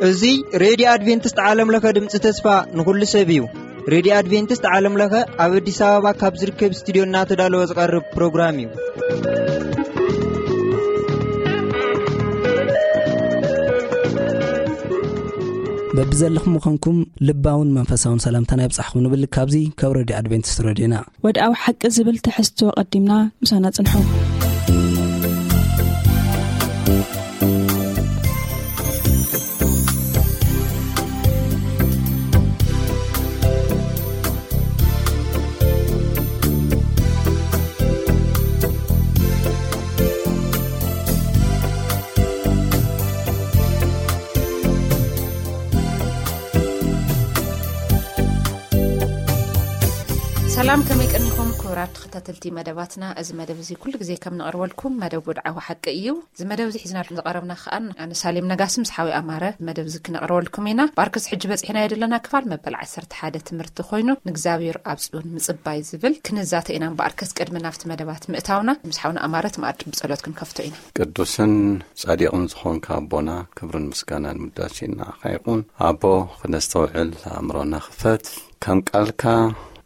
እዚ ሬድዮ ኣድቬንቲስት ዓለም ለኸ ድምፂ ተስፋ ንኹሉ ሰብ እዩ። ሬድዮ ኣድቬንቲስት ዓለም ለኸ ኣብ ኣዲስ ኣበባ ካብ ዝርከብ ስቱዲዮ እናተዳለወ ዝቐርብ ፕሮግራም እዩ። በብዘለኹም ምዃንኩም ልባውን መንፈሳውን ሰላምታና የብጻሕኹም ንብል ካብዚ ካብ ሬድዮ ኣድቬንቲስት ሬድዮና። ወድኣዊ ሓቂ ዝብል ትሕዝቶ ቀዲምና ምሳና ጽንሑ። ሰላም፣ ከመይ ቀኒኹም ክቡራት ተኸታተልቲ መደባትና? እዚ መደብ እዚ ኩሉ ግዜ ከም ንቕርበልኩም መደብ ወድዓዊ ሓቂ እዩ። እዚ መደብ እዚ ሒዝናልኩም ዝቐረብና ከኣ ኣነ ሳሌም ነጋሲ ምስ ሓወይ ኣማረ መደብ እዚ ክነቕርበልኩም ኢና። ብኣርከስ ሕጂ በጺሕናዮ ዘለና ክፋል መበል ዓሰርተ ሓደ ትምህርቲ ኮይኑ ንእግዚኣብሔር ኣብ ጽዮን ምጽባይ ዝብል ክንዛተ ኢና። ብኣርከስ ቅድሚ ናብቲ መደባት ምእታውና ምስ ሓውና ኣማረ እቲ መኣዲ ብጸሎት ክንከፍቶ ኢና። ቅዱስን ጻዲቕን ዝኾንካ ኣቦና ክብርን ምስጋናን ውዳሴን ንዓኻ ይኹን። ኣቦ ክነስተውዕል ኣእምሮና ክፈት። ከም ቃልካ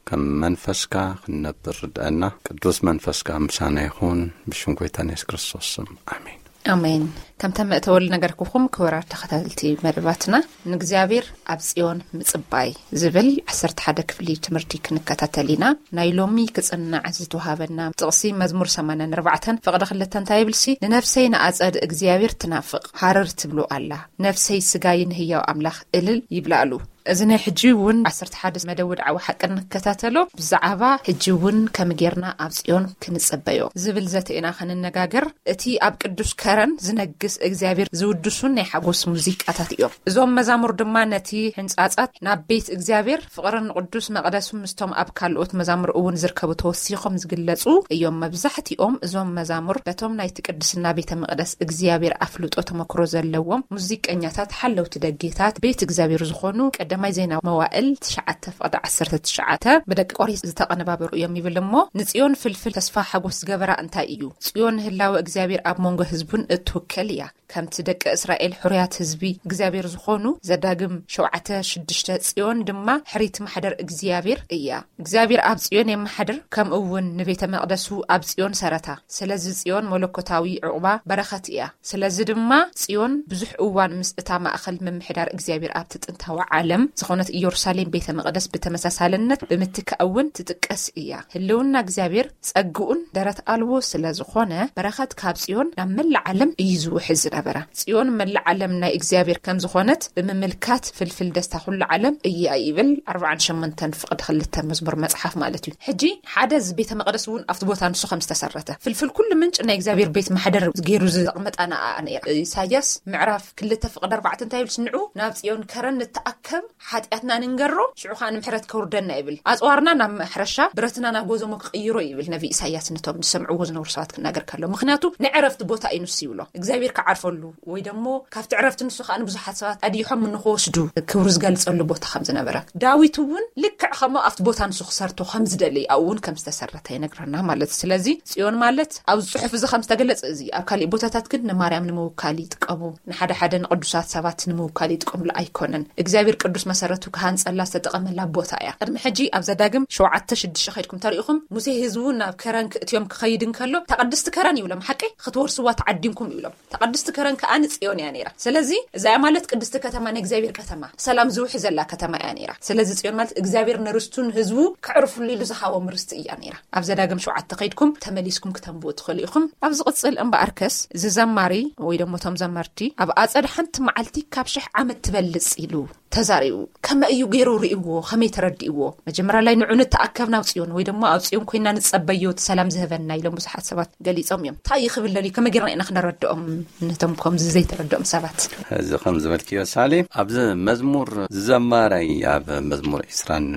ከም መንፈስካ ክንነብር ርድኣና። ቅዱስ መንፈስካ ምሳና ይኹን። ብሽም ጎይታና የሱስ ክርስቶስ ስም ኣሜን። ኣሜን። ከምተን መእተወሉ ነገርኩኹም ክቡራት ተኸታተልቲ መደባትና ንእግዚኣብሔር ኣብ ጽዮን ምጽባይ ዝብል ዓሰርተ ሓደ ክፍሊ ትምህርቲ ክንከታተል ኢና። ናይ ሎሚ ክጽናዕ ዝተዋሃበና ጥቕሲ መዝሙር ሰማንያን ኣርባዕተን ፍቕዲ ክልተ እንታይ ይብልሲ? ንነፍሰይ ንኣጸድ እግዚኣብሔር ትናፍቕ ሃረር ትብሎ ኣላ። ነፍሰይ ስጋይ ንህያው ኣምላኽ እልል ይብላሉ። እዚ ናይ ሕጂ እውን ዓሰርተ ሓደ መደብ ወድዓዊ ሓቂ ንከታተሎ ብዛዕባ ሕጂ እውን ከም ጌርና ኣብ ጽዮን ክንጸበዮ ዝብል ዘተ ኢና ክንነጋገር። እቲ ኣብ ቅዱስ ከረን ዝነግስ እግዚኣብሔር ዝውድሱን ናይ ሓጎስ ሙዚቃታት እዮም። እዞም መዛሙር ድማ ነቲ ሕንጻጻት ናብ ቤት እግዚኣብሔር ፍቕርን ንቅዱስ መቕደሱ ምስቶም ኣብ ካልኦት መዛሙር እውን ዝርከቡ ተወሲኾም ዝግለጹ እዮም። መብዛሕትኦም እዞም መዛሙር በቶም ናይቲ ቅድስና ቤተ መቕደስ እግዚኣብሔር ኣፍልጦ ተመክሮ ዘለዎም ሙዚቀኛታት ሓለውቲ ደጌታት ቤት እግዚኣብሔር ዝኾኑ ቀዳማይ ዜና መዋእል ትሽዓተ ፍቕዲ ዓሰርተ ትሽዓተ ብደቂ ቆሬ ዝተቐነባበሩ እዮም ይብል እሞ፣ ንጽዮን ፍልፍል ተስፋ ሓጎስ ዝገበራ እንታይ እዩ? ጽዮን ህላወ እግዚኣብሔር ኣብ መንጎ ህዝቡን እትውከል እያ። ከምቲ ደቂ እስራኤል ሕሩያት ህዝቢ እግዚኣብሔር ዝኾኑ ዘዳግም ሸውዓተ ሽዱሽተ ጽዮን ድማ ሕሪት ማሕደር እግዚኣብሔር እያ። እግዚኣብሔር ኣብ ጽዮን የመሓድር፣ ከምኡ እውን ንቤተ መቕደሱ ኣብ ጽዮን ሰረታ። ስለዚ ጽዮን መለኮታዊ ዕቑባ በረኸት እያ። ስለዚ ድማ ጽዮን ብዙሕ እዋን ምስ እታ ማእከል ምምሕዳር እግዚኣብሔር ኣብቲ ጥንታዊ ዓለም ዝኾነት ኢየሩሳሌም ቤተ መቕደስ ብተመሳሳልነት ብምትካእ እውን ትጥቀስ እያ። ህልውና እግዚኣብሔር ጸግኡን ደረት ኣልቦ ስለ ዝኾነ በረኸት ካብ ጽዮን ናብ መላእ ዓለም እዩ ዝውሕዝ ዝነበረ። ጽዮን መላእ ዓለም ናይ እግዚኣብሔር ከም ዝኾነት ብምምልካት ፍልፍል ደስታ ኩሉ ዓለም እያ ይብል ኣርባዓን ሸሞንተን ፍቕዲ ክልተ መዝሙር መጽሓፍ ማለት እዩ። ሕጂ ሓደ እዚ ቤተ መቕደስ እውን ኣብቲ ቦታ ንሱ ከም ዝተሰረተ ፍልፍል ኩሉ ምንጭ ናይ እግዚኣብሔር ቤት ማሕደር ገይሩ ዘቕመጣ ንኣ ነይራ። ኢሳያስ ምዕራፍ ክልተ ፍቕዲ ኣርባዕተ እንታይ ይብል? ንዑ ናብ ጽዮን ከረን ንተኣከብ ሓጢኣትና ንንገሮ፣ ሽዑ ኸኣ ንምሕረት ከውርደና ይብል። ኣጽዋርና ናብ ማሕረሻ፣ ብረትና ናብ ጎዞሞ ክቕይሮ ይብል ነቢ ኢሳያስ ነቶም ዝሰምዕዎ ዝነበሩ ሰባት ክናገር ከሎ። ምኽንያቱ ንዕረፍቲ ቦታ እዩ ንሱ ይብሎ። እግዚኣብሔር ክዓርፈሉ ወይ ደሞ ካብቲ ዕረፍቲ ንሱ ኸኣ ንብዙሓት ሰባት ኣዲሖም ንኽወስዱ ክብሩ ዝገልጸሉ ቦታ ከም ዝነበረ። ዳዊት እውን ልክዕ ከምኡ ኣብቲ ቦታ ንሱ ክሰርቶ ከም ዝደሊ ኣብኡ እውን ከም ዝተሰረተ ይነግረና ማለት እዩ። ስለዚ ጽዮን ማለት ኣብዚ ጽሑፍ እዚ ከም ዝተገለጸ እዚ ኣብ ካሊእ ቦታታት ግን ንማርያም ንምውካል ይጥቀሙ። ንሓደ ሓደ ንቅዱሳት ሰባት ንምውካል ይጥቀምሉ ኣይኮነን። እግዚኣብሔር ቅዱስ መሰረቱ ክሃንጸላ ዝተጠቐመላ ቦታ እያ። ቅድሚ ሕጂ ኣብ ዘዳግም ሸውዓተ ሽዱሽተ ከይድኩም ተሪኢኹም፣ ሙሴ ህዝቡ ናብ ከረን ክእትዮም ክኸይድ እንከሎ፣ "እታ ቅድስቲ ከረን" ይብሎም፣ "ሓቀይ ክትወርስዋ ተዓዲምኩም" ይብሎም። "እታ ቅድስቲ ከረን ከኣ ንጽዮን እያ ነይራ።" ስለዚ እዚኣ ማለት ቅድስቲ ከተማ፣ ናይ እግዚኣብሔር ከተማ፣ ሰላም ዝውሕዘላ ከተማ እያ ነይራ። ስለዚ ጽዮን ማለት እግዚኣብሔር ንርስቱን ህዝቡ ክዕርፍሉ ኢሉ ዝሃቦም ርስቲ እያ ነይራ። ኣብ ዘዳግም ሸውዓተ ከይድኩም ተመሊስኩም ክተንብቡ ትኽእሉ ኢኹም። ኣብ ዝቕጽል እምበኣርከስ፣ እዚ ዘማሪ ወይ ደሞ እቶም ዘመርቲ፣ "ኣብ ኣጸድ ሓንቲ መዓልቲ ካብ ሽሕ ዓመት ትበልጽ" ኢሉ ተዛሪቡ። ከመይ እዩ ገይሩ ርእይዎ? ከመይ ተረዲእዎ? መጀመርያ ላይ ንዑ ንተኣከብ ናብ ጽዮን ወይ ደሞ ኣብ ጽዮን ኮይና ንጸበዮ እቲ ሰላም ዝህበና ኢሎም ብዙሓት ሰባት ገሊጾም እዮም። እንታይ እዩ ክብል ደልዩ? ከመይ ጌርና ኢና ክነረድኦም ነቶም ከምዚ ዘይተረድኦም ሰባት? እዚ ከም ዝበልክዮ ሳሌም፣ ኣብዚ መዝሙር ዝዘማራይ ኣብ መዝሙር ዕስራን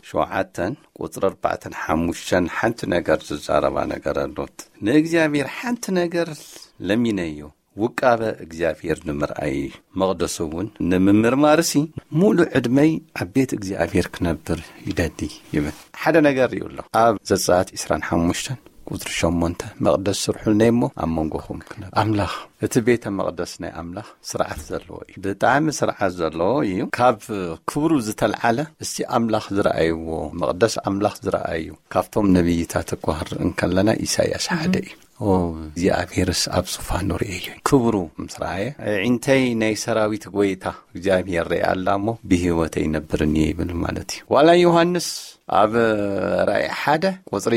ሸውዓተን ቁጽሪ ኣርባዕተን ሓሙሽተን ሓንቲ ነገር ዝዛረባ ነገር ኣሎት። "ንእግዚኣብሔር ሓንቲ ነገር ለሚነዮ፣ ውቃበ እግዚኣብሔር ንምርኣይ፣ መቕደሱ እውን ንምምርማርሲ፣ ሙሉ ዕድመይ ኣብ ቤት እግዚኣብሔር ክነብር ይደሊ ይብል። ሓደ ነገር ይብሎ። ኣብ ዘጸኣት ዕስራን ሓሙሽተን ቁጽሪ ሸሞንተ፣ "መቕደስ ስርሑልናይ እሞ ኣብ መንጎኹም ክነብር." ኣምላኽ፣ እቲ ቤተ መቕደስ ናይ ኣምላኽ ስርዓት ዘለዎ እዩ። ብጣዕሚ ስርዓት ዘለዎ እዩ። ካብ ክብሩ ዝተልዓለ፣ እስቲ ኣምላኽ ዝረኣይዎ መቕደስ፣ ኣምላኽ ዝረኣዩ ካብቶም ነቢይታት እኳ ክንርኢ እንከለና፣ ኢሳይያስ ሓደ እዩ። "ኦ፣ እግዚኣብሔርስ ኣብ ዙፋኑ ርእየዮ፣ ክብሩ ምስ ረኣየ፣ ኣዒንተይ ናይ ሰራዊት ጎይታ እግዚኣብሔር ርእያ ኣላ እሞ፣ ብህይወተይ ይነብርን እየ" ይብል ማለት እዩ። ዋላ ዮሃንስ ኣብ ራእይ ሓደ ቁጽሪ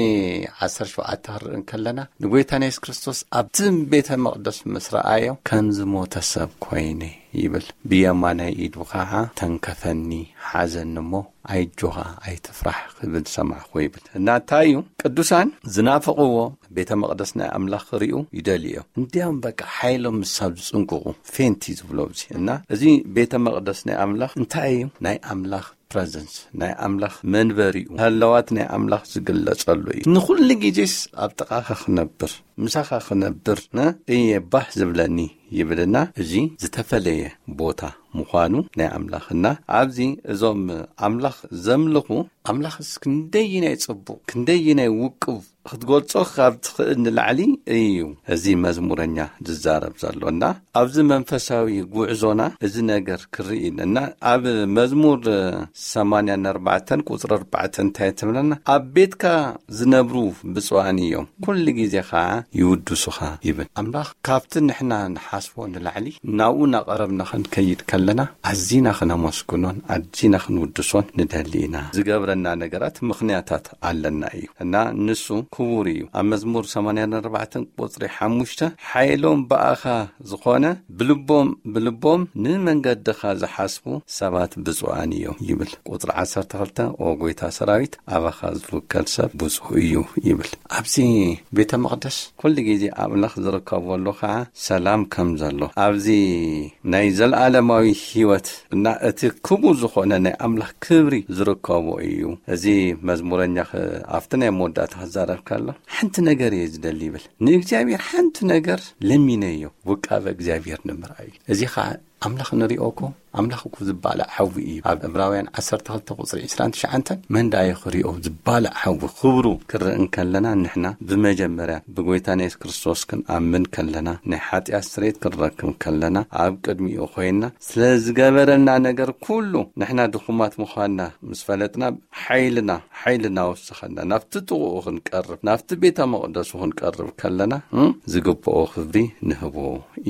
ዓሰርተ ሸውዓተ ክንርኢ እንከለና፣ ንጎይታና የሱስ ክርስቶስ ኣብቲ ቤተ መቕደስ ምስ ረኣዮ፣ "ከም ዝሞተ ሰብ ኮይነ" ይብል። "ብየማናይ ኢዱ ኸዓ ተንከፈኒ፣ ሓዘኒ እሞ፣ ኣይጆኻ፣ ኣይትፍራሕ ክብል ሰማዕኹ" ይብል። እና እንታይ እዩ? ቅዱሳን ዝናፍቕዎ ቤተ መቕደስ ናይ ኣምላኽ ክርእዩ ይደልዩ እዮም። እንዲያውም በቃ ሓይሎም ምሳብ ዝጽንቅቑ፣ ፌንቲ ዝብሎ ኣብዚ። እና እዚ ቤተ መቕደስ ናይ ኣምላኽ እንታይ እዩ? ናይ ኣምላኽ ፕረዘንስ፣ ናይ ኣምላኽ መንበሪኡ፣ ህለዋት ናይ ኣምላኽ ዝግለጸሉ እዩ። ንኹሉ ግዜስ ኣብ ጥቓኻ ክነብር፣ ምሳኻ ክነብር፣ ነ-፣ እየ ባህ ዝብለኒ ይብልና። እዚ ዝተፈለየ ቦታ ምዃኑ ናይ ኣምላኽና፣ ኣብዚ እዞም ኣምላኽ ዘምልኹ፣ ኣምላኽስ ክንደይናይ ጽቡቕ፣ ክንደይናይ ውቁብ ክትገልጾ ካብ ትኽእል ንላዕሊ እዩ እዚ መዝሙረኛ ዝዛረብ ዘሎ። እና ኣብዚ መንፈሳዊ ጉዕዞና እዚ ነገር ክርኢ ኢና። እና ኣብ መዝሙር ሰማንያን ኣርባዕተን ቁጽሪ ኣርባዕተ እንታይ ትብለና? "ኣብ ቤትካ ዝነብሩ ብፁዓን እዮም፣ ኩሉ ግዜ ኸዓ ይውድሱኻ" ይብል። ኣምላኽ ካብቲ ንሕና ንሓስቦ ንላዕሊ ናብኡ እናቐረብና ክንከይድ ከለና፣ ኣዚና ክነመስግኖን ኣዚና ክንውድሶን ንደሊ ኢና። ዝገብረና ነገራት ምኽንያታት ኣለና እዩ። እና ንሱ ክቡር እዩ። ኣብ መዝሙር ሰማንያን ኣርባዕተን ቁጽሪ ሓሙሽተ፣ "ሓይሎም ብኣኻ ዝኾነ፣ ብልቦም፣ ብልቦም ንመንገድኻ ዝሓስቡ ሰባት ብፁዓን እዮም" ይብል። ቁጽሪ ዓሰርተ ክልተ፣ "ኦ ጎይታ ሰራዊት፣ ኣባኻ ዝውከል ሰብ ብፁዕ እዩ" ይብል። ኣብዚ ቤተ መቕደስ ኩሉ ግዜ ኣምላኽ ዝርከበሉ ኸዓ ሰላም ከም ዘሎ፣ ኣብዚ ናይ ዘለኣለማዊ ህይወት እና እቲ ክቡር ዝኾነ ናይ ኣምላኽ ክብሪ ዝርከቦ እዩ። እዚ መዝሙረኛ ኸ-፣ ኣብቲ ናይ መወዳእታ ክዛረብ ከሎ፣ "ሓንቲ ነገር እየ ዝደሊ" ይብል። "ንእግዚኣብሔር ሓንቲ ነገር ለሚነዮ፣ ውቃበ እግዚኣብሔር ንምርኣይ" እዩ። እዚ ኸዓ ኣምላኽ ንሪኦ እኮ፣ ኣምላኽ እኮ ዝባላዕ ሓዊ እዩ። ኣብ ዕብራውያን ዓሰርተ ክልተ ቁጽሪ ዕስራን ትሽዓተን፣ "መን ዳዮ ክሪኦ?" ዝባላዕ ሓዊ ክብሩ ክርኢ እንከለና፣ ንሕና ብመጀመርያ ብጎይታና የሱስ ክርስቶስ ክንኣምን ከለና፣ ናይ ሓጢኣት ስርየት ክንረክብ ከለና፣ ኣብ ቅድሚኡ ኮይንና ስለ ዝገበረልና ነገር ኩሉ፣ ንሕና ድኹማት ምዃንና ምስ ፈለጥና፣ ሓይልና፣ ሓይልና ወሰኸና። ናብቲ ጥቕኡ ክንቀርብ፣ ናብቲ ቤተ መቕደሱ ክንቀርብ ከለና፣ እም፣ ዝግብኦ ክብሪ ንህቦ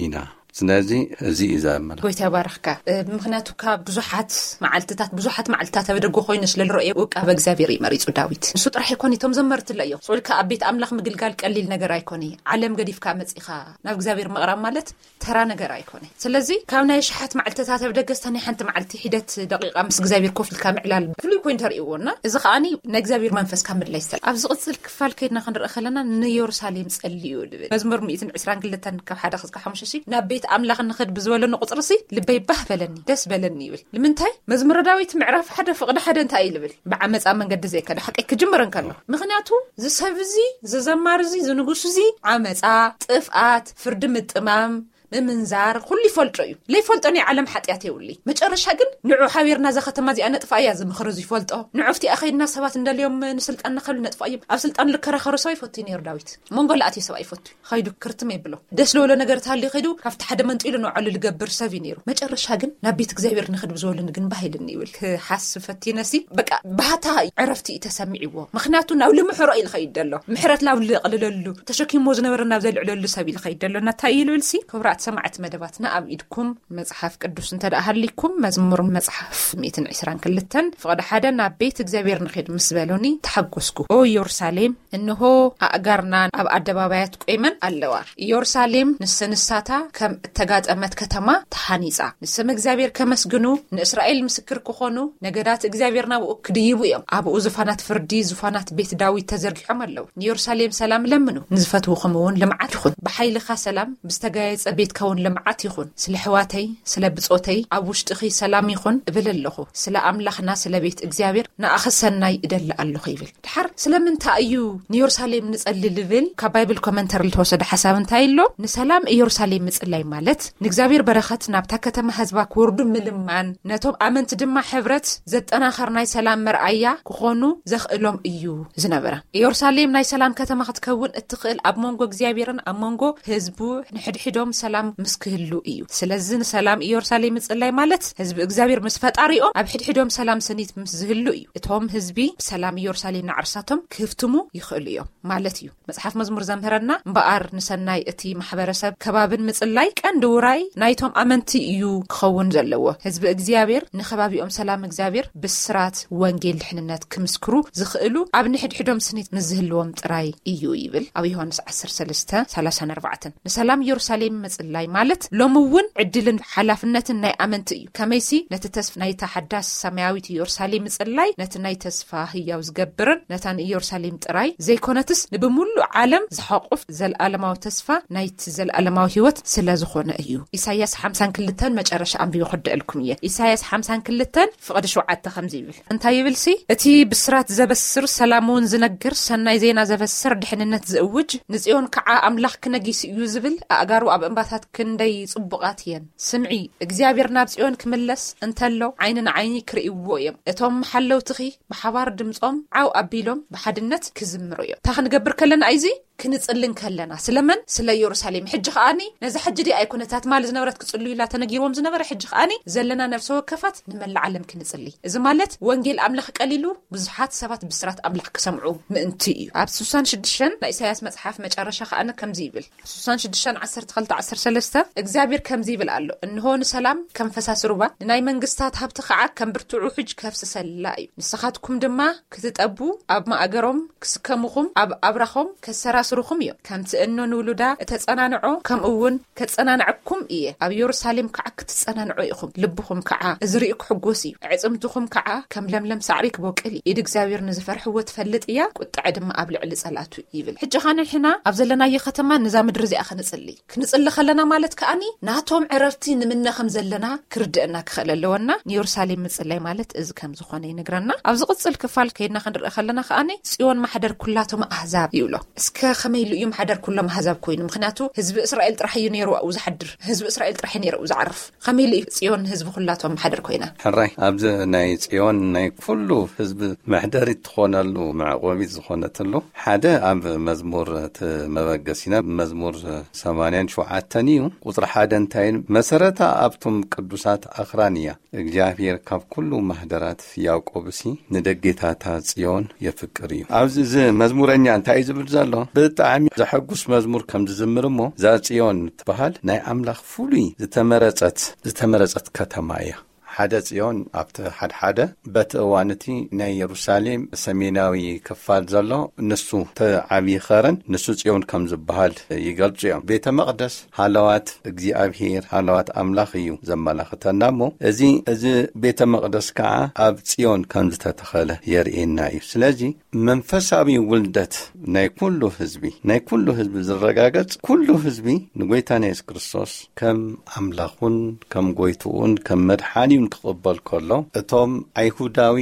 ኢና። ስለዚ እዚ እዩ ዘመልክት። ጎይታ ይባርኽካ። እ፣ ምኽንያቱ ካብ ብዙሓት መዓልትታት፣ ብዙሓት መዓልትታት ኣብ ደገ ኮይኑ ስለ ዝረኣዮ፣ ውቃበ እግዚኣብሔር እዩ መሪጹ ዳዊት። ንሱ ጥራሕ ኣይኮነ፣ እቶም ዘመርቲ ኣሎ እዮም። ስቕ ኢልካ ኣብ ቤት ኣምላኽ ምግልጋል ቀሊል ነገር ኣይኮነ። ዓለም ገዲፍካ መጺኻ ናብ እግዚኣብሔር ምቕራብ ማለት ተራ ነገር ኣይኮነ። ስለዚ ካብ ናይ ኣሽሓት መዓልትታት ኣብ ደገ፣ እስታ ናይ ሓንቲ መዓልቲ ሒደት ደቂቓ ምስ እግዚኣብሔር ኮፍ ኢልካ ምዕላል ፍሉይ ኮይኑ ተርእይዎ እና፣ እዚ ከኣኒ ናይ እግዚኣብሔር መንፈስ ካብ ምድላይ ዝተል-፣ ኣብ ዝቕጽል ክፋል ከይድና ክንርኢ ከለና፣ "ንየሩሳሌም ጸልዩ" ዝብል መዝሙር ሚእትን ዕስራን ክልተን ካብ ሓደ ክሳብ ሓሙሽተ ሲ፣ "ናብ ቤት ኣምላኽ ንኽድ ብዝበለኒ ቁጽሪ ሲ፣ ልበይ ባህ በለኒ፣ ደስ በለኒ" ይብል። ንምንታይ? መዝሙረ ዳዊት ምዕራፍ ሓደ ፍቕዲ ሓደ እንታይ እዩ ዝብል? "ብዓመጻ መንገዲ ዘይከደ ሓቀይ ክጅምር እንከሎ"። ምኽንያቱ፣ እዚ ሰብ እዚ፣ እዚ ዘማሪ እዚ፣ እዚ ንጉስ እዚ፣ ዓመጻ፣ ጥፍኣት፣ ፍርዲ ምጥማም፣ ምምንዛር፣ ኩሉ ይፈልጦ እዩ። ለይፈልጦ ናይ ዓለም ሓጢኣት የብሉይ። መጨረሻ ግን፣ "ንዑ ሓቢርና እዛ ከተማ እዚኣ ነጥፍኣ" እያ ዝምኽር እዚ ይፈልጦ። "ንዑ ኣብቲኣ ኸይድና ሰባት እንደልዮም ንስልጣን ንኸሉ ነጥፍኣ እዮም" ኣብ ስልጣን ልከራኸሩ ሰብ ይፈቱ ነይሩ ዳዊት። መንጎ ለኣትዮ ሰብ ኣይፈቱ። ኸይዱ ክርትም የብሎ። ደስ ለበሎ ነገር ተሃልዩ ኸይዱ ካብቲ ሓደ መንጢሉ ንባዕሉ ልገብር ሰብ እዩ ነይሩ። መጨረሻ ግን ናብ ቤት እግዚኣብሔር ንኽድ ብዝበሉኒ ግን ባህ ኢልኒ ይብል። ክሓስብ ፈቲነሲ በቃ ባህታ ዕረፍቲ እዩ ተሰሚዕዎ። ምኽንያቱ ናብ ልምሕሮ እዩ ልኸይድ ደሎ። ምሕረት ናብ ልቕልለሉ፣ ተሸኪሞ ዝነበረ ናብ ዘልዕለሉ ሰብ እዩ ልኸይድ ደሎ። እና እንታይ እዩ ልብልሲ? ክቡራት ሰማዕቲ መደባትና ኣብ ኢድኩም መጽሓፍ ቅዱስ እንተ ደኣ ሃሊኩም መዝሙር መጽሓፍ ሚእትን ዕስራን ክልተን ፍቕዲ ሓደ ናብ ቤት እግዚኣብሔር ንኺድ ምስ በሉኒ ተሓጎስኩ። ኦ ኢየሩሳሌም እንሆ ኣእጋርና ኣብ ኣደባባያት ቆይመን ኣለዋ። ኢየሩሳሌም ንስንሳታ ከም እተጋጠመት ከተማ ተሃኒጻ። ንስም እግዚኣብሔር ከመስግኑ፣ ንእስራኤል ምስክር ክኾኑ፣ ነገዳት እግዚኣብሔር ናብኡ ክድይቡ እዮም። ኣብኡ ዙፋናት ፍርዲ፣ ዙፋናት ቤት ዳዊት ተዘርጊሖም ኣለዉ። ንኢየሩሳሌም ሰላም ለምኑ፣ ንዝፈትውኹም እውን ልምዓት ይኹን። ብሓይልኻ ሰላም፣ ብዝተጋየጸ ቤት ትከውን ልምዓት ይኹን፣ ስለ ኣሕዋተይ፣ ስለ ብጾተይ ኣብ ውሽጥኺ ሰላም ይኹን እብል ኣለኹ። ስለ ኣምላኽና፣ ስለ ቤት እግዚኣብሔር ንኣኺ ሰናይ እደሊ ኣለኹ ይብል። ድሓር ስለምንታይ እዩ ንየሩሳሌም ንጸሊ ልብል? ካብ ባይብል ኮመንተሪ ልተወሰደ ሓሳብ እንታይ ኣሎ? ንሰላም ኢየሩሳሌም ምጽላይ ማለት ንእግዚኣብሔር በረኸት ናብታ ከተማ ህዝባ ክወርዱ ምልማን፣ ነቶም ኣመንቲ ድማ ሕብረት ዘጠናኸር ናይ ሰላም መርኣያ ክኾኑ ዘኽእሎም እዩ ዝነበረ። ኢየሩሳሌም ናይ ሰላም ከተማ ክትከውን እትኽእል ኣብ መንጎ እግዚኣብሔርን ኣብ መንጎ ህዝቡ ንሕድሕዶም ሰላም ምስ ክህሉ እዩ። ስለዚ ንሰላም ኢየሩሳሌም ምጽላይ ማለት ህዝቢ እግዚኣብሔር ምስ ፈጣሪኦም ኣብ ሕድሕዶም ሰላም ስኒት ምስ ዝህሉ እዩ። እቶም ህዝቢ ብሰላም ኢየሩሳሌም ንዓርሳቶም ክህፍትሙ ይኽእሉ እዮም ማለት እዩ። መጽሓፍ መዝሙር ዘምህረና እምበኣር ንሰናይ እቲ ማሕበረሰብ ከባብን ምጽላይ ቀንዲ ውራይ ናይቶም ኣመንቲ እዩ ክኸውን ዘለዎ። ህዝቢ እግዚኣብሔር ንከባቢኦም ሰላም እግዚኣብሔር ብስራት ወንጌል ድሕንነት ክምስክሩ ዝኽእሉ ኣብ ንሕድሕዶም ስኒት ምስ ዝህልዎም ጥራይ እዩ ይብል ኣብ ዮሃንስ ዓሰርተ ሰለስተ ሰላሳን ኣርባዕተን። ንሰላም ኢየሩሳሌም ምጽላይ ማለት ሎሚ እውን ዕድልን ሓላፍነትን ናይ ኣመንቲ እዩ። ከመይሲ ነቲ ተስፋ ናይታ ሓዳስ ሰማያዊት ኢየሩሳሌም ምጽላይ ነቲ ናይ ተስፋ ህያው ዝገብርን ነታ ንኢየሩሳሌም ጥራይ ዘይኮነትስ ንብምሉእ ዓለም ዝሓቁፍ ዘልኣለማዊ ተስፋ ናይቲ ዘልኣለማዊ ህይወት ስለ ዝኾነ እዩ። ኢሳያስ ሓምሳን ክልተን መጨረሻ ኣንቢበ ክርድአልኩም እየ። ኢሳያስ ሓምሳን ክልተን ፍቕዲ ሸውዓተ ከምዚ ይብል። እንታይ ይብል ሲ? እቲ ብስራት ዘበስር፣ ሰላም እውን ዝነግር፣ ሰናይ ዜና ዘበስር፣ ድሕንነት ዝእውጅ፣ ንጽዮን ከዓ ኣምላኽ ክነጊስ እዩ ዝብል፣ ኣእጋሩ ኣብ እምባታት ክንደይ ጽቡቓት እየን። ስምዒ፣ እግዚኣብሔር ናብ ጽዮን ክምለስ እንተሎ ዓይኒ ንዓይኒ ክርእይዎ እዮም። እቶም ሓለውትኺ ብሓባር ድምጾም ዓው ኣቢሎም ብሓድነት ክዝምሩ እዮም። እንታይ ክንገብር ከለና እዩ እዚ? ክንጽሊ እንከለና። ስለመን? ስለ ኢየሩሳሌም። ሕጂ ከኣኒ ነዛ ሕጂ ድኣ ኣይኮነታ ትማሊ ዝነበረት ክጽልዩ ኢላ ተነጊርዎም ዝነበረ፣ ሕጂ ከኣኒ ዘለና ነፍሰ ወከፋት ንመላእ ዓለም ክንጽሊ። እዚ ማለት ወንጌል ኣምላኽ ቀሊሉ ብዙሓት ሰባት ብስራት ኣምላኽ ክሰምዑ ምእንቲ እዩ። ኣብ ስሳን ሽዱሽተን ናይ ኢሳያስ መጽሓፍ መጨረሻ ከኣኒ ከምዚ ይብል። ስሳን ሽዱሽተን ዓሰርተ ክልተ ዓሰርተ ሰለስተ እግዚኣብሔር ከምዚ ይብል ኣሎ፣ እንሆ ንሰላም ከም ፈሳሲ ሩባ፣ ንናይ መንግስታት ሃብቲ ከዓ ከም ብርቱዕ ውሕጅ ከፍስሰላ እዩ። ንስኻትኩም ድማ ክትጠቡ፣ ኣብ ማእገሮም ክስከሙኹም፣ ኣብ ኣብራኾም ከሰራስሩኹም እዮም። ከምቲ እኖ ንውሉዳ እተጸናንዖ፣ ከምኡ እውን ከጸናንዐኩም እየ። ኣብ የሩሳሌም ከዓ ክትጸናንዑ ኢኹም። ልብኹም ከዓ እዚ ርእዩ ክሕጎስ እዩ። ኣዕጽምትኹም ከዓ ከም ለምለም ሳዕሪ ክቦቅል እዩ። ኢድ እግዚኣብሔር ንዝፈርሕዎ ትፈልጥ እያ፣ ቁጥዐ ድማ ኣብ ልዕሊ ጸላቱ ይብል። ሕጂ ኸኣ ንሕና ኣብ ዘለናዮ ከተማ ነዛ ምድሪ እዚኣ ክንጽሊ። ክንጽሊ ከለና ማለት ከኣኒ ናቶም ዕረፍቲ ንምነ ከም ዘለና ክርድአና ክኽእል ኣለወና። ንየሩሳሌም ምጽላይ ማለት እዚ ከም ዝኾነ ይነግረና። ኣብ ዝቕጽል ክፋል ከይድና ክንርኢ ከለና ከኣኒ ጽዮን ማሕደር ኩላቶም ኣህዛብ ይብሎ። እስከ ከመይ ኢሉ እዩ ማሕደር ኩሎም ኣህዛብ ኮይኑ? ምኽንያቱ ህዝቢ እስራኤል ጥራሕ እዩ ነይሩ ኣብኡ ዝሓድር። ህዝቢ እስራኤል ጥራሕ እዩ ነይሩ ኣብኡ ዝዓርፍ። ከመይ ኢሉ እዩ ጽዮን ህዝቢ ኩላቶም ማሕደር ኮይና? ሕራይ፣ ኣብዚ ናይ ጽዮን ናይ ኩሉ ህዝቢ መሕደሪት ትኾነሉ መዕቆቢት ዝኾነትሉ ሓደ ኣብ መዝሙር እቲ መበገሲና መዝሙር ሰማንያን ሸውዓተን እዩ። ቁጽሪ ሓደ እንታይ ኢሉ? መሰረታ ኣብቶም ቅዱሳት ኣኽራን እያ። እግዚኣብሔር ካብ ኩሉ ማህደራት ያዕቆብሲ ንደጌታታ ጽዮን የፍቅር እዩ። ኣብዚ እዚ መዝሙረኛ እንታይ እዩ ዝብል ዘሎ? ብጣዕሚ ዘሐጉስ መዝሙር ከም ዝዝምር እሞ፣ እዛ ጽዮን ትበሃል ናይ ኣምላኽ ፍሉይ ዝተመረጸት፣ ዝተመረጸት ከተማ እያ። ሓደ ጽዮን ኣብቲ ሓድሓደ በቲ እዋን እቲ ናይ የሩሳሌም ሰሜናዊ ክፋል ዘሎ ንሱ እቲ ዓብዪ ኸረን ንሱ ጽዮን ከም ዝበሃል ይገልጹ እዮም። ቤተ መቕደስ ሃለዋት እግዚኣብሔር፣ ሃለዋት ኣምላኽ እዩ ዘመላኽተና እሞ፣ እዚ፣ እዚ ቤተ መቕደስ ከዓ ኣብ ጽዮን ከም ዝተተኸለ የርእየና እዩ። ስለዚ መንፈሳዊ ውልደት ናይ ኩሉ ህዝቢ፣ ናይ ኩሉ ህዝቢ ዝረጋገጽ፣ ኩሉ ህዝቢ ንጎይታና የሱስ ክርስቶስ ከም ኣምላኹን ከም ጎይትኡን ከም መድሓኒውን ክቕበል ከሎ፣ እቶም ኣይሁዳዊ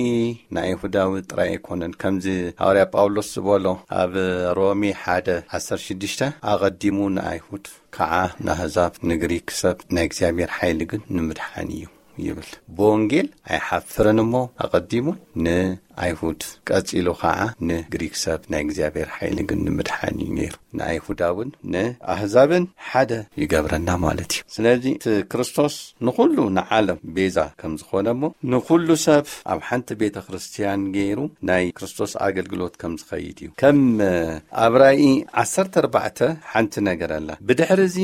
ንኣይሁዳዊ ጥራይ ኣይኮነን። ከምዚ ሃዋርያ ጳውሎስ ዝበሎ ኣብ ሮሜ ሓደ ዓሰርተ ሽዱሽተ፣ ኣቐዲሙ ንኣይሁድ ከዓ ንኣህዛብ፣ ንግሪክ ሰብ ናይ እግዚኣብሔር ሓይሊ ግን ንምድሓን እዩ ይብል። ብወንጌል ኣይሓፍርን እሞ፣ ኣቐዲሙ ንኣይሁድ፣ ቀጺሉ ከዓ ንግሪክ ሰብ ናይ እግዚኣብሔር ሓይሊ ግን ንምድሓን እዩ ነይሩ። ንኣይሁዳውን ንኣህዛብን ሓደ ይገብረና ማለት እዩ። ስለዚ እቲ ክርስቶስ ንኹሉ ንዓለም ቤዛ ከም ዝኾነ እሞ፣ ንኹሉ ሰብ ኣብ ሓንቲ ቤተ ክርስቲያን ገይሩ ናይ ክርስቶስ ኣገልግሎት ከም ዝኸይድ እዩ። ከም ኣብ ራእይ ዓሰርተ ኣርባዕተ ሓንቲ ነገር ኣላ። ብድሕሪ እዚ፣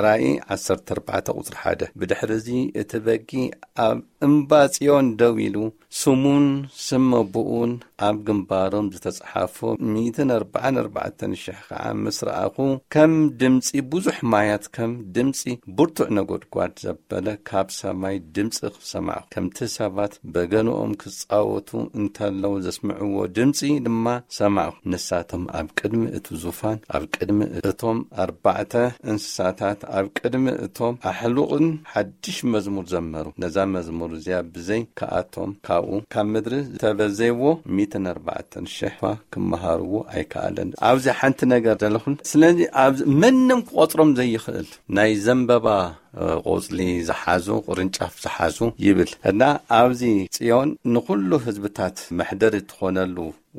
ራእይ ዓሰርተ ኣርባዕተ ቁጽሪ ሓደ፣ ብድሕሪ እዚ እቲ በጊዕ ኣብ እምባ ጽዮን ደው ኢሉ ስሙን ስም ኣቦኡን ኣብ ግንባሮም ዝተጻሓፎ ሚእትን ኣርባዓን ኣርባዕተን ሽሕ ከዓ ምስ ረኣኹ፣ ከም ድምጺ ብዙሕ ማያት፣ ከም ድምጺ ብርቱዕ ነጎድጓድ ዘበለ ካብ ሰማይ ድምጺ ሰማዕኹ። ከምቲ ሰባት በገንኦም ክጻወቱ እንተለዉ ዘስምዕዎ ድምጺ ድማ ሰማዕኹ። ንሳቶም ኣብ ቅድሚ እቲ ዙፋን፣ ኣብ ቅድሚ እቶም ኣርባዕተ እንስሳታት፣ ኣብ ቅድሚ እቶም ኣሕሉቕን ሓድሽ መዝሙር ዘመሩ። ነዛ መዝሙር እዚኣ ብዘይ ከኣቶም ካብኡ ካብ ምድሪ ዝተበዘይዎ ሚእትን ኣርባዕተን ሽሕ እኳ ክመሃርዎ ኣይከኣለን። ኣብዚ ሓንቲ ነገር ዘለኹን። ስለዚ ኣብዚ መንም ክቆጽሮም ዘይኽእል ናይ ዘንበባ፣ እ፣ ቆጽሊ ዝሓዙ፣ ቅርንጫፍ ዝሓዙ ይብል። እና ኣብዚ ጽዮን ንኹሉ ህዝብታት መሕደሪ ትኾነሉ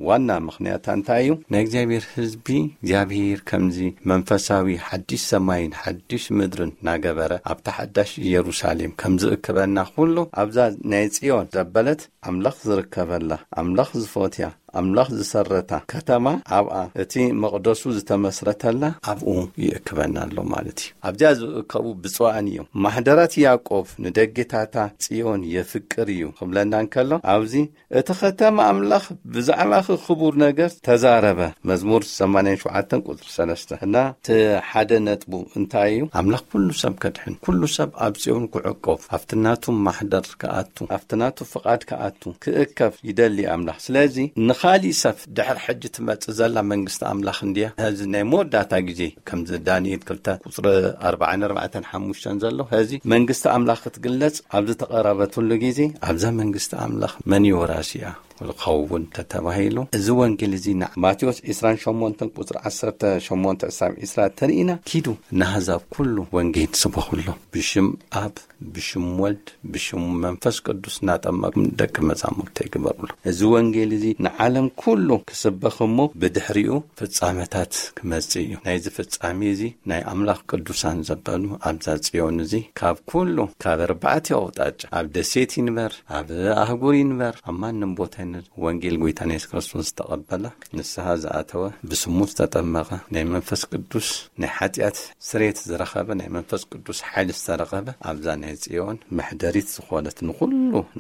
ዋና ምኽንያታ እንታይ እዩ? ናይ እግዚኣብሔር ህዝቢ፣ እግዚኣብሔር ከምዚ መንፈሳዊ ሓድሽ ሰማይን ሓድሽ ምድርን እናገበረ ኣብታ ሓዳሽ ኢየሩሳሌም ከም ዝእክበና ኩሉ፣ ኣብዛ ናይ ጽዮን ዘበለት ኣምላኽ ዝርከበላ፣ ኣምላኽ ዝፈትያ፣ ኣምላኽ ዝሰረታ ከተማ፣ ኣብኣ እቲ መቕደሱ ዝተመስረተላ ኣብኡ ይእክበና ኣሎ ማለት እዩ። ኣብዚኣ ዝእከቡ ብፁዓን እዮም። ማሕደራት ያዕቆብ ንደጌታታ ጽዮን የፍቅር እዩ ክብለና እንከሎ፣ ኣብዚ እቲ ኸተማ ኣምላኽ ብዛዕባኺ ኽቡር ነገር ተዛረበ። መዝሙር ሰማንያን ሸውዓተን ቁጽሪ ሰለስተ። እና እቲ ሓደ ነጥቡ እንታይ እዩ? ኣምላኽ ኩሉ ሰብ ከድሕን፣ ኩሉ ሰብ ኣብ ጽዮን ክዕቆብ፣ ኣብቲ ናቱ ማሕደር ክኣቱ፣ ኣብቲ ናቱ ፍቓድ ክኣቱ፣ ክእከብ ይደሊ ኣምላኽ። ስለዚ ንኻሊእ ሰብ ድሕሪ ሕጂ ትመጽእ ዘላ መንግስቲ ኣምላኽ እንድያ። ሕዚ ናይ መወዳእታ ግዜ ከምዚ ዳንኤል ክልተ ቁጽሪ ኣርባዓን ኣርባዕተን ሓሙሽተን ዘሎ፣ ሕዚ መንግስቲ ኣምላኽ ክትግለጽ ኣብ ዝተቐረበትሉ ግዜ ኣብዛ መንግስቲ ኣምላኽ መን እዩ ወራሲኣ? ክኸውን ተተባሂሉ፣ እዚ ወንጌል እዚ ን-፣ ማቴዎስ ዒስራን ሸሞንተን ቁጽሪ ዓሰርተ ሸሞንተ ክሳብ ዒስራ ተርኢና፣ ኪዱ ንኣህዛብ ኩሉ ወንጌል ስበኹሎም፣ ብሽም ኣብ፣ ብሽም ወልድ፣ ብሽም መንፈስ ቅዱስ እናጠመቅኩም ደቂ መዛሙርተይ ግበሩሎም። እዚ ወንጌል እዚ ንዓለም ኩሉ ክስበኽ እሞ ብድሕሪኡ ፍጻመታት ክመጽእ እዩ። ናይዚ ፍጻሜ እዚ ናይ ኣምላኽ ቅዱሳን ዘበሉ ኣብዛ ጽዮን እዚ ካብ ኩሉ፣ ካብ ኣርባዕተ ኣውጣጫ፣ ኣብ ደሴት ይንበር፣ ኣብ ኣህጉር ይንበር፣ ኣብ ማንም ቦታ ይንበር፣ ወንጌል ጎይታና የሱስ ክርስቶስ ዝተቐበለ፣ ንስሓ ዝኣተወ፣ ብስሙ ዝተጠመቐ፣ ናይ መንፈስ ቅዱስ ናይ ሓጢኣት ስሬት ዝረኸበ፣ ናይ መንፈስ ቅዱስ ሓይሊ ዝተረኸበ፣ ኣብዛ ናይ ጽዮን መሕደሪት ዝኾነት ንኹሉ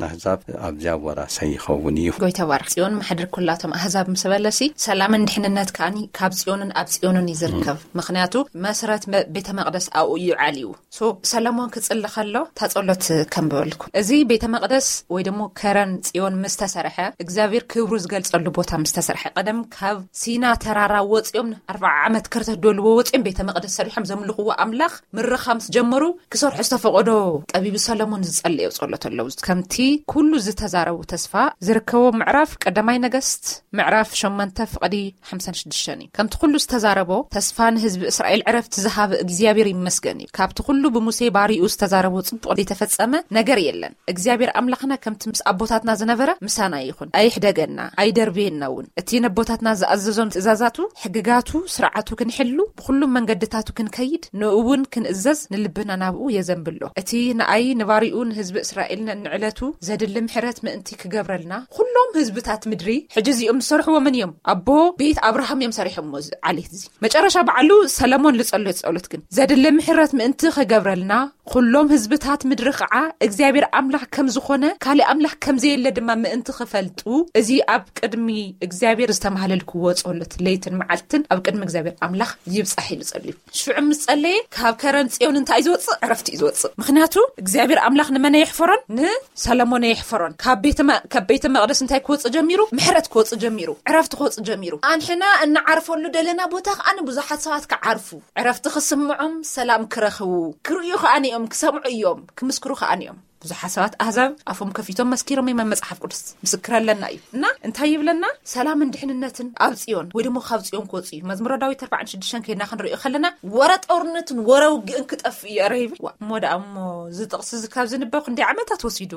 ናህዛብ ኣብዚኣ ወራሳይ ይኸውን እዩ። ጎይታ ባርኽ። ጽዮን ማሕደር ኩላቶም ኣህዛብ ምስ በለሲ፣ ሰላምን ድሕንነት ከኣኒ ካብ ጽዮንን ኣብ ጽዮንን እዩ ዝርከብ። ምኽንያቱ መስረት መ-፣ ቤተ መቕደስ ኣብኡ እዩ ዓልዩ። ሶ ሰለሞን ክጽሊ ከሎ እታ ጸሎት ከንብበልኩም። እዚ ቤተ መቕደስ ወይ ደሞ ከረን ጽዮን ምስ ተሰርሐ፣ እግዚኣብሔር ክብሩ ዝገልጸሉ ቦታ ምስ ተሰርሐ፣ ቀደም ካብ ሲና ተራራ ወጺኦም ኣርብዓ ዓመት ከርተት ደልዎ ወጺኦም ቤተ መቕደስ ሰሪሖም ዘምልኽዎ ኣምላኽ ምርኻ ምስ ጀመሩ፣ ክሰርሑ ዝተፈቐዶ ጠቢቡ ሰለሞን ዝጸለዮ ጸሎት ኣለዉ። ከምቲ ኩሉ ዝተዛረቡ ተስፋ ዝርከቦ ምዕራፍ ቀዳማይ ነገስት ምዕራፍ ሸሞንተ ፍቕዲ ሓምሳን ሽዱሽተን እዩ። ከምቲ ኩሉ ዝተዛረቦ ተስፋ ንህዝቢ እስራኤል ዕረፍቲ ዝሃበ እግዚኣብሔር ይመስገን እዩ። ካብቲ ኩሉ ብሙሴ ባሪኡ ዝተዛረቦ ጽቡቕ ዘይተፈጸመ ነገር የለን። እግዚኣብሔር ኣምላኽና ከምቲ ምስ ኣቦታትና ዝነበረ ምሳና ይኹን። ኣይሕደገና፣ ኣይደርብየና እውን። እቲ ነቦታትና ዝኣዘዞም ትእዛዛቱ፣ ሕግጋቱ፣ ስርዓቱ ክንሕሉ፣ ብኹሉ መንገድታቱ ክንከይድ፣ ንእኡ እውን ክንእዘዝ ንልብና ናብኡ የዘንብሎ። እቲ ንኣይ ንባሪኡ ንህዝቢ እስራኤል ንዕለቱ ዘድሊ ምሕረት ምእንቲ ክገብረልና፣ ኩሎም ህዝብታት ምድሪ ሕጂ እዚኦም ዝሰርሕዎ መን እዮም? ኣቦ ቤት ኣብርሃም እዮም ሰሪሖምዎ እዚ ዓሌት እዚ። መጨረሻ በዓሉ ሰለሞን ዝጸለዮ ጸሎት ግን፣ ዘድሊ ምሕረት ምእንቲ ክገብረልና፣ ኩሎም ህዝብታት ምድሪ ኸዓ እግዚኣብሔር ኣምላኽ ከም ዝኾነ፣ ካልእ ኣምላኽ ከም ዘየለ ድማ ምእንቲ ክፈልጡ፣ እዚ ኣብ ቅድሚ እግዚኣብሔር ዝተማህለልክዎ ጸሎት ለይትን መዓልትን ኣብ ቅድሚ እግዚኣብሔር ኣምላኽ ይብጻሕ ኢሉ ጸልዩ። ሽዑ ምስ ጸለየ፣ ካብ ከረን ጽዮን እንታይ እዩ ዝወጽእ? ዕረፍቲ እዩ ዝወጽእ። ምኽንያቱ እግዚኣብሔር ኣምላኽ ንመን ኣየሕፈሮን? ንሰለሞን ኣየሕፈሮን። ካብ ቤተ መ-፣ ካብ ቤተ መቕደስ እንታይ ክወጽእ ጀሚሩ? ምሕረት ክወጽእ ጀሚሩ። ዕረፍቲ ክወጽእ ጀሚሩ። ኣንሕና እንዓርፈሉ ደለና ቦታ ከኣ ንብዙሓት ሰባት ክዓርፉ፣ ዕረፍቲ ክስምዖም፣ ሰላም ክረኽቡ፣ ክርእዩ ከኣ ንዮም፣ ክሰምዑ እዮም፣ ክምስክሩ ከኣ ንዮም። ብዙሓት ሰባት ኣህዛብ ኣፎም ከፊቶም መስኪሮም እዮም። መጽሓፍ ቅዱስ ምስክር ኣለና እዩ። እና እንታይ ይብለና? ሰላምን ድሕንነትን ኣብ ጽዮን፣ ወይ ደሞ ካብ ጽዮን ክወጽኡ እዩ። መዝሙረ ዳዊት ኣርባዓን ሽዱሽተን ከይድና ክንርእዮ ከለና፣ ወረ ጦርነትን ወረ ውግእን ክጠፍእ እዩ፣ ኧረ ይብል። ዋ፣ እሞ ደኣ እሞ እዚ ጥቕሲ እዚ ካብ ዝንበብ ክንደይ ዓመታት ወሲዱ?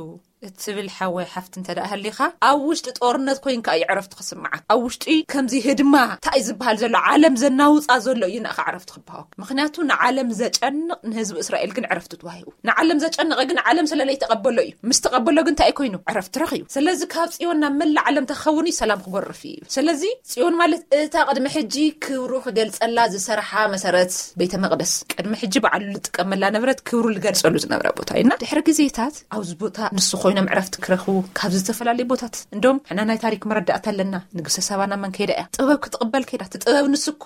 እትብል ሓወይ ሓፍቲ እንተ ደኣ ሃሊኻ፣ ኣብ ውሽጢ ጦርነት ኮይንካ እዩ ዕረፍቲ ክስምዓካ። ኣብ ውሽጢ ከምዚ ህድማ እንታይ ዝበሃል ዘሎ፣ ዓለም ዘናውጻ ዘሎ እዩ ንኣኻ ዕረፍቲ ክበሃወካ። ምኽንያቱ ንዓለም ዘጨንቕ ንህዝቢ እስራኤል ግን ዕረፍቲ ተዋሂቡ። ንዓለም ዘጨንቐ ግን ዓለም ስለ ተቐበሎ እዩ። ምስ ተቐበሎ ግን እንታይ ኮይኑ? ዕረፍቲ ረኽዩ። ስለዚ ካብ ጽዮን ናብ መላእ ዓለም ተኸውን እዩ፣ ሰላም ክጎርፍ እዩ። ስለዚ ጽዮን ማለት እታ ቅድሚ ሕጂ ክብሩ ክገልጸላ ዝሰርሓ መሰረት ቤተ መቕደስ፣ ቅድሚ ሕጂ በዓሉ ዝጥቀመላ ነበረት፣ ክብሩ ዝገልጸሉ ዝነበረ ቦታ እዩ። እና ድሕሪ ግዜታት ኣብዚ ቦታ ንሱ ኮይኖም ዕረፍቲ ክረኽቡ ካብ ዝተፈላለዩ ቦታት፣ እንደውም ሕና ናይ ታሪክ መረዳእታ ኣለና። ንግስተ ሰባና መን ከይዳ እያ ጥበብ ክትቕበል ከይዳ? እቲ ጥበብ ንሱ እኮ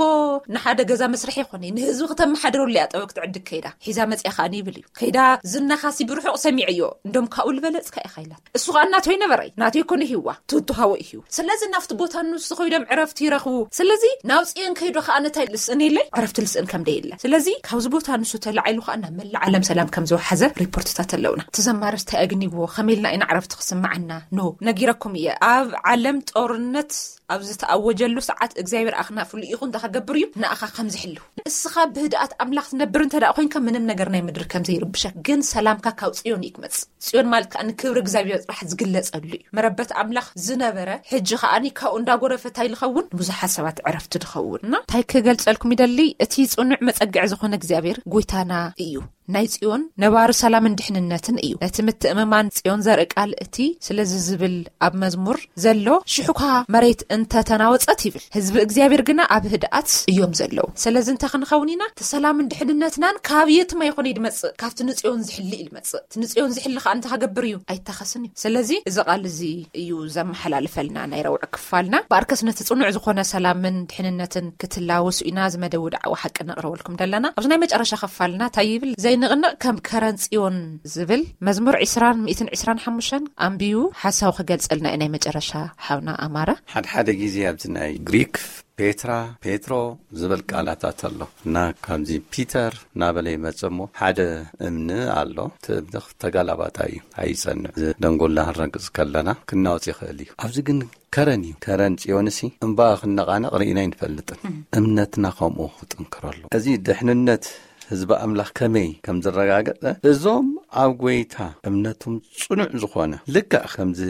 ንሓደ ገዛ መስርሒ ይኾነ፣ ንህዝቢ ክተመሓድረሉ እያ ጥበብ ክትዕድግ ከይዳ። ሒዛ መጽያ ከኣ ይብል እዩ። ከይዳ ዝናኻሲ ብርሑቕ ሰሚዐዮ። እንደም ካብኡ ዝበለጽካ ኢኻ ኢላት። እሱ ከኣ እናተይ ነበረ። ናተይ ኮነ ሂዋ። ትውቱ ሃወ እዩ። ስለዚ ናብቲ ቦታ ንሱ ኮይዶም ዕረፍቲ ይረኽቡ። ስለዚ ናብ ጽዮን ከይዶ ከኣ ነታይ ልስእን ኢለ ዕረፍቲ ልስእን ከም ደይለ። ስለዚ ካብዚ ቦታ ንሱ ተላዒሉ ከኣ ናብ መላእ ዓለም ሰላም ከም ዝወሓዘ ሪፖርትታት ኣለውና። ተዘማረስ እንታይ ኣግኒዎ? ከመይ ኢልና ኢና ዕረፍቲ ክስምዓና? ኖ፣ ነጊረኩም እየ። ኣብ ዓለም ጦርነት ኣብ ዝተኣወጀሉ ሰዓት እግዚኣብሔር ኣኽናፉ ልኢኹ እንታይ ከገብር እዩ? ንኣኻ ከም ዝሕልው። እስኻ ብህድኣት ኣምላኽ ትነብር እንተ ደኣ ኮይንካ ምንም ነገር ናይ ምድሪ ከም ዘይርብሸክ። ግን ሰላምካ ካብ ጽዮን እዩ ክመጽእ። ጽዮን ማለት ከኣ ንክብሪ እግዚኣብሔር ጥራሕ ዝግለጸሉ እዩ። መረበት ኣምላኽ ዝነበረ፣ ሕጂ ከኣኒ ካብኡ እንዳጎረፈ እንታይ ዝኸውን? ብዙሓት ሰባት ዕረፍቲ ዝኸውን። እና እንታይ ክገልጸልኩም ይደሊ? እቲ ጽኑዕ መጸግዒ ዝኾነ እግዚኣብሔር ጎይታና እዩ። ናይ ጽዮን ነባሪ ሰላምን ድሕንነትን እዩ። ነቲ ምትእምማን ጽዮን ዘርኢ ቃል እቲ ስለዚ ዝብል ኣብ መዝሙር ዘሎ ሽሕኳ መሬት እንተተናወጸት ይብል። ህዝቢ እግዚኣብሔር ግና ኣብ ህድኣት እዮም ዘለዉ። ስለዚ እንታይ ክንኸውን ኢና? እቲ ሰላምን ድሕንነትናን ካብ የትማ ይኾነ ይድመጽእ? ካብቲ ንጽዮን ዝሕሊ እዩ ዝመጽእ። እቲ ንጽዮን ዝሕሊ ከኣ እንታይ ክገብር እዩ? ኣይታኸስን እዩ። ስለዚ እዚ ቃል እዚ እዩ ዘመሓላልፈልና ናይ ረውዕ ክፋልና። በኣርከስ ነቲ ጽኑዕ ዝኾነ ሰላምን ድሕንነትን ክትላወሱ ኢና። እዚ መደብ ውድዓዊ ሓቂ ነቕርበልኩም ዘለና። ኣብዚ ናይ መጨረሻ ክፋልና እንታይ ይብል? ዘይንቕንቕ ከም ከረን ጽዮን ዝብል መዝሙር ዕስራን ሚእትን ዕስራን ሓሙሽተን ኣንቢዩ ሓሳቡ ክገልጸልና እዩ ናይ መጨረሻ ሓውና ኣማረ። ሓደ ሓደ ግዜ ኣብዚ ናይ ግሪክ ፔትራ፣ ፔትሮ ዝብል ቃላታት ኣሎ እና ካብዚ ፒተር እናበለ ይመጽእ እሞ ሓደ እምኒ ኣሎ። እቲ እምኒ ተጋላባጣይ እዩ፣ ኣይጸንዕ። እዚ ደንጎላ ክንረግጽ ከለና ክናወጽ ይኽእል እዩ። ኣብዚ ግን ከረን እዩ። ከረን ጽዮንሲ እምባ ክነቓነቕ ርኢና ኣይንፈልጥን። እምነትና ከምኡ ክጥንክረሉ። እዚ ድሕንነት ህዝቢ ኣምላኽ ከመይ ከም ዝረጋገጸ፣ እዞም ኣብ ጐይታ እምነቶም ጽኑዕ ዝኾነ፣ ልክዕ ከምዚ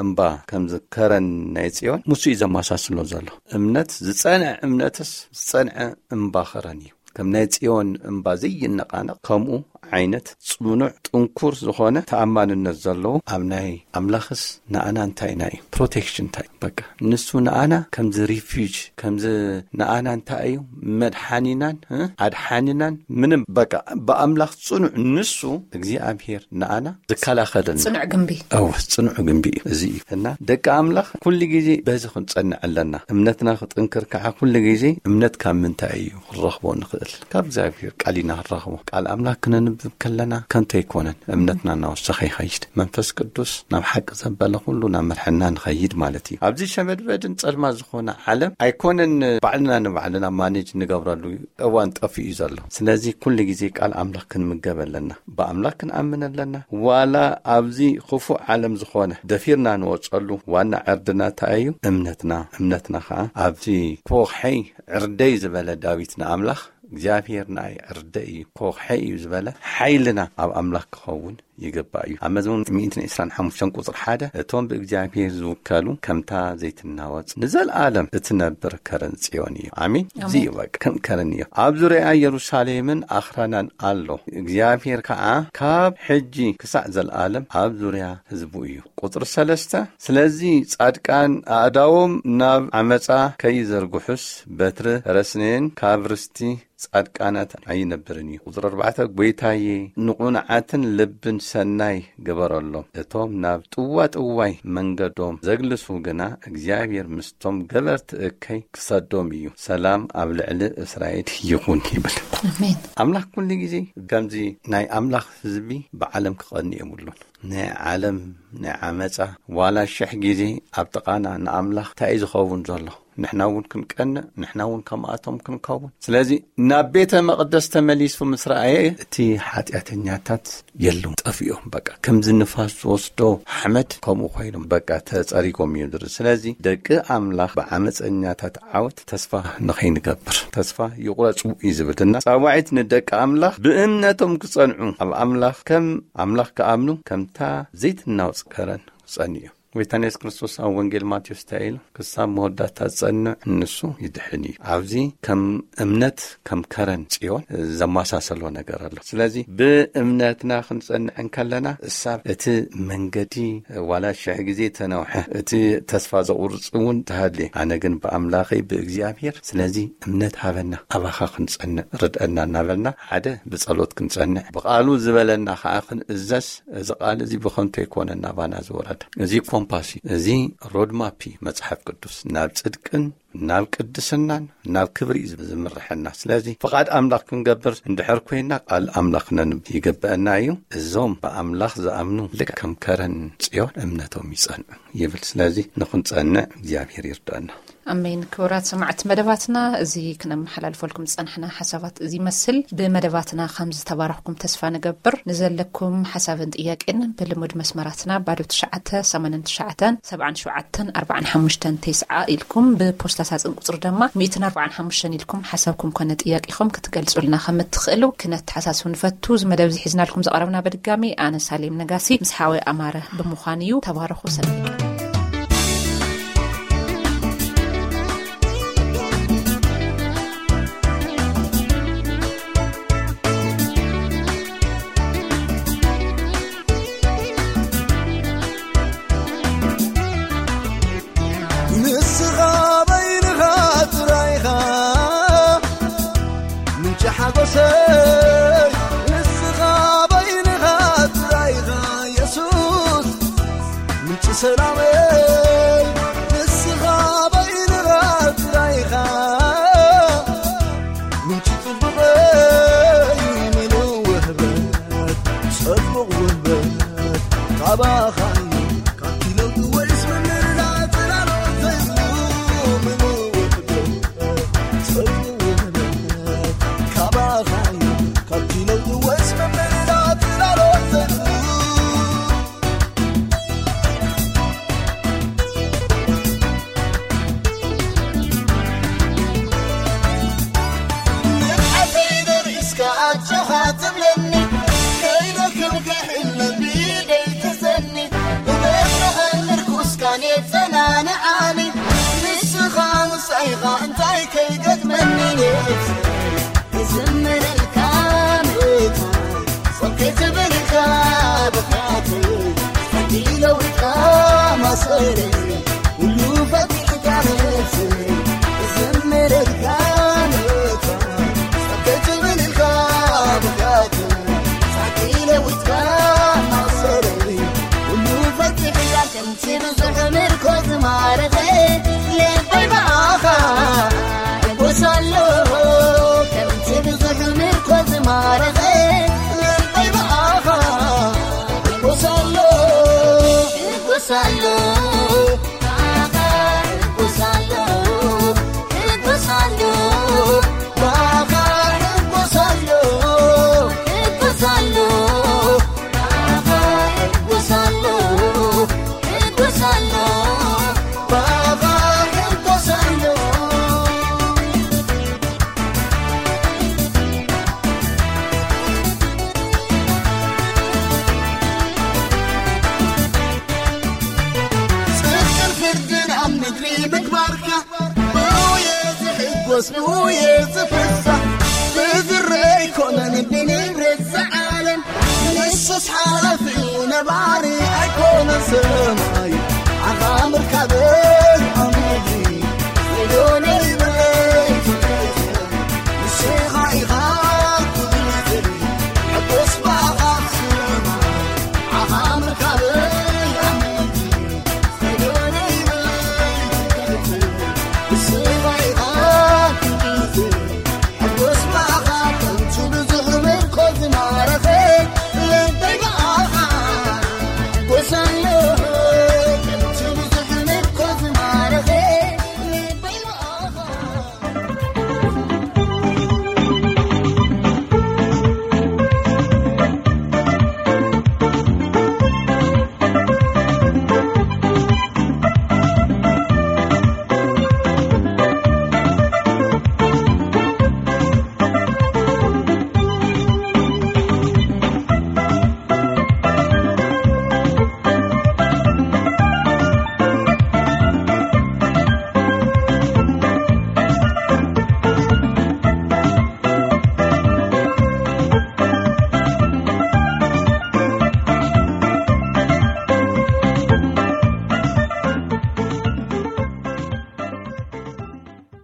እምባ፣ ከምዚ ከረን ናይ ጽዮን፣ ምስ እዩ ዘመሳስሎ ዘሎ። እምነት፣ ዝጸንዐ እምነትስ፣ ዝጸንዐ እምባ ከረን እዩ። ከም ናይ ጽዮን እምባ ዘይነቓነቕ፣ ከምኡ ዓይነት ጽኑዕ፣ ጥንኩር ዝኾነ ተኣማንነት ዘለዎ ኣብ ናይ ኣምላኽስ ንኣና እንታይ ኢና እዩ? ፕሮቴክሽን እንታይ እዩ? በቃ፣ ንሱ ንኣና ከምዚ ሪፊጅ፣ ከምዚ ንኣና እንታይ እዩ? መድሓኒናን፣ እ? ኣድሓኒናን፣ ምንም፣ በቃ፣ ብኣምላኽ ጽኑዕ፣ ንሱ እግዚኣብሔር ንኣና ዝከላኸለልና። ጽኑዕ ግንቢ። እወ፣ ጽኑዕ ግንቢ እዩ። እዚ እዩ። እና ደቂ ኣምላኽ ኩሉ ግዜ በዚ ክንጸንዕ ኣለና። እምነትና ክጥንክር ከዓ ኩሉ ግዜ እምነት ካብ ምንታይ እዩ ክንረኽቦ ንኽእል? ካብ እግዚኣብሔር ቃል ኢና ክንረኽቦ። ቃል ኣምላኽ ክነንብብ ከለና ከንቱ ኣይኮነን። እምነትና እናወሰኸ ይኸይድ። መንፈስ ቅዱስ ናብ ሓቂ ዘበለ ኩሉ ናብ መርሐና ንኸይድ ማለት እዩ። ኣብዚ ሸመድበድን ጸልማ ዝኾነ ዓለም ኣይኮነን ባዕልና ንባዕልና ማኔጅ ንገብረሉ እዋን ጠፊኡ እዩ ዘሎ። ስለዚ ኩሉ ግዜ ቃል ኣምላኽ ክንምገብ ኣለና። ብኣምላኽ ክንኣምን ኣለና። ዋላ ኣብዚ ክፉእ ዓለም ዝኾነ ደፊርና ንወጸሉ ዋና ዕርድና እንታይ እዩ? እምነትና። እምነትና ኸዓ ኣብቲ ኮኽሐይ ዕርደይ ዝበለ ዳዊት ንኣምላኽ እግዚኣብሔር ንኣይ ዕርደይ እዩ፣ ኮኽሐይ እዩ ዝበለ ሓይልና ኣብ ኣምላኽ ክኸውን ይግባእ እዩ። ኣብ መዝሙር ሚእትን ዕስራን ሓሙሽተን ቁጽሪ ሓደ፣ እቶም ብእግዚኣብሔር ዝውከሉ ከምታ ዘይትናወጽ ንዘለኣለም እትነብር ከረን ጽዮን እዩ። ኣሜን። ኣሜን። እዚ እዩ በቃ፣ ከም ከረን እዩ። ኣብ ዙርያ የሩሳሌምን ኣኽራናን ኣሎ። እግዚኣብሔር ከኣ ካብ ሕጂ ክሳዕ ዘለኣለም ኣብ ዙርያ ህዝቡ እዩ። ቁጽሪ ሰለስተ፣ ስለዚ ጻድቃን ኣእዳዎም ናብ ዓመጻ ከይዘርግሑስ በትሪ ረስነየን ካብ ርስቲ ጻድቃናት ኣይነብርን እዩ። ቁጽሪ ኣርባዕተ፣ ጐይታዬ፣ ንቑኑዓትን ልብን ሰናይ ግበረሎም። እቶም ናብ ጥዋጥዋይ መንገዶም ዘግልሱ ግና፣ እግዚኣብሔር ምስቶም ገበርቲ እከይ ክሰዶም እዩ። ሰላም ኣብ ልዕሊ እስራኤል ይኹን ይብል። ኣሜን። ኣምላኽ ኩሉ ግዜ ከምዚ ናይ ኣምላኽ ህዝቢ ብዓለም ክቐኒ የብሉን። ናይ ዓለም ናይ ዓመጻ ዋላ ሽሕ ግዜ ኣብ ጥቓና ንኣምላኽ እንታይ እዩ ዝኸውን ዘሎ? ንሕና እውን ክንቀንእ፣ ንሕና እውን ከምኣቶም ክንከውን። ስለዚ ናብ ቤተ መቕደስ ተመሊሱ ምስ ረኣየ፣ እቲ ሓጢኣተኛታት የለውን፣ ጠፊኦም። በቃ ከምዚ ንፋስ ዝወስዶ ሓመድ ከምኡ ኮይኖም በቃ ተጸሪጎም እዮም ዝርኢ። ስለዚ ደቂ ኣምላኽ ብዓመጸኛታት ዓወት ተስፋ ንኸይንገብር፣ ተስፋ ይቑረጹ እዩ ዝብል እና ጻዋዒት ንደቂ ኣምላኽ ብእምነቶም ክጸንዑ፣ ኣብ ኣምላኽ ከም ኣምላኽ ክኣምኑ፣ ከምታ ዘይትናወጽ ከረን ክጸንዩ እዮም። ጎይታና የሱስ ክርስቶስ ኣብ ወንጌል ማቴዎስ እንታይ ኢሉ? "ክሳብ መወዳእታ ዝጸንዕ ንሱ ይድሕን እዩ።" ኣብዚ ከም እምነት ከም ከረን ጽዮን ዘመሳሰሎ ነገር ኣሎ። ስለዚ ብእምነትና ክንጸንዕ እንከለና፣ እሳብ እቲ መንገዲ ዋላ ሽሕ ግዜ ተነውሐ፣ እቲ ተስፋ ዘቑርጽ እውን ተሃልየ፣ ኣነ ግን ብኣምላኸይ ብእግዚኣብሔር፣ ስለዚ እምነት ሃበና፣ ኣባኻ ክንጸንዕ ርድአና እናበልና፣ ሓደ ብጸሎት ክንጸንዕ፣ ብቓሉ ዝበለና ከዓ ክንእዘዝ፣ እዚ ቃል እዚ ብኸንቱ ኣይኮነን ናባና ዝወረደ። እዚ ኮምፓስ እዩ፣ እዚ ሮድማፕ እዩ። መጽሓፍ ቅዱስ ናብ ጽድቅን ናብ ቅድስናን ናብ ክብሪ እዩ ዝምርሐና። ስለዚ ፍቓድ ኣምላኽ ክንገብር እንድሕር ኮይና፣ ቃል ኣምላኽ ነንብ ይግበአና እዩ። "እዞም ብኣምላኽ ዝኣምኑ ልክዕ ከም ከረን ጽዮን እምነቶም ይጸንዑ" ይብል። ስለዚ ንኽንጸንዕ እግዚኣብሔር ይርዳና። ኣሜን። ክቡራት ሰማዕቲ መደባትና፣ እዚ ክነመሓላልፈልኩም ዝጸናሕና ሓሳባት እዚ ይመስል። ብመደባትና ከም ዝተባረኽኩም ተስፋ ንገብር። ንዘለኩም ሓሳብን ጥያቄን ብልሙድ መስመራትና ባዶ ትሽዓተ ሰማንያን ትሽዓተን ሰብዓን ሸውዓተን ኣርባዓን ሓሙሽተን ተስዓ ኢልኩም፣ ብፖስታ ሳጥን ቁጽሪ ድማ ሚእትን ኣርባዓን ሓሙሽተን ኢልኩም ሓሳብኩም ኮነ ጥያቄኹም ክትገልጹልና ከም እትኽእሉ ክነተሓሳስብ ንፈቱ። እዚ መደብ እዚ ሒዝናልኩም ዝቐረብና በድጋሚ ኣነ ሳሌም ነጋሲ ምስ ሓወይ ኣማረ ብምዃን እዩ። ተባረኹ። ሰላም። ንስኻ በይንኻ ጥራይኻ ምንጪ ሓጎሰይ፣ ንስኻ በይንኻ ጥራይኻ የሱስ ምንጪ ሰላመይ፣ ንስኻ በይንኻ ጥራይኻ ምንጪ ጽቡቐይ፣ ምሉእ ውህበት፣ ጽቡቕ ውህበት ካባኻ እዩ። ካብቲ ለውጢ ወይስ ምምርዳእ ጽላሎት ዘይብሉ ምሉእ ውህበት፣ ጽቡቕ ውህበት ካባኻ እዩ። ካብቲ ለውጢ ወይስ ምምርዳእ ጽላሎት ዘይብሉ ንብዓተይ ደሪስካ ኣጆኻ ትብለኒ፣ ከይደክምካ ሕልመይ ብኢደይ ትሕዘኒ፣ ብበትሪ ኣእምር ኩስካን የጸናንዓኒ፣ ንስኻ ምሳይኻ እንታይ ከይገጥመኒ ነብሰይ ክዝምረልካ መታን ጾም ከይትብል ኢልካ ብኽያተይ፣ ጸጊ ለዊጥካ ማእሰርተይ፣ ኩሉ ፈቲሕካ ነብሰይ ክዝምረልካ መታን ጾም ከይትብል ኢልካ ብኽያተይ፣ ጸጊ ለዊጥካ ማእሰርተይ፣ ኩሉ ፈቲሕካ ከምቲ ብዙሕ ምርኮ ዝማረኸ ልበይ ብኣኻ ሕጎስ ኣሎ። ከምቲ ብዙሕ ምርኮ ዝማረኸ ልበይ ብኣኻ ሕጎስ ኣሎ። ሕጎስ ኣሎ። ብኣኻ ሕጎስ ኣሎ። ሕጎስ ኣሎ። ብኣኻ ሕጎስ ኣሎ። ሕጎስ ኣሎ። ብኣኻ ሕጎስ ኣሎ። ሕጎስ ኣሎ። ብኣኻ ሕጎስ ኣሎ። ጽድቅን ፍርድን ኣብ ምድሪ ምግባርካ፣ ብውየ ዝሕጎስ ብውየ ዝፍሳሕ፣ ብዝረአ ኣይኮነን ብንብረት ዝዓለም፣ ንሱስ ሓላፊ እዩ ነባሪ ኣይኮነን ሰማይ፣ ዓኻ ምርካበይ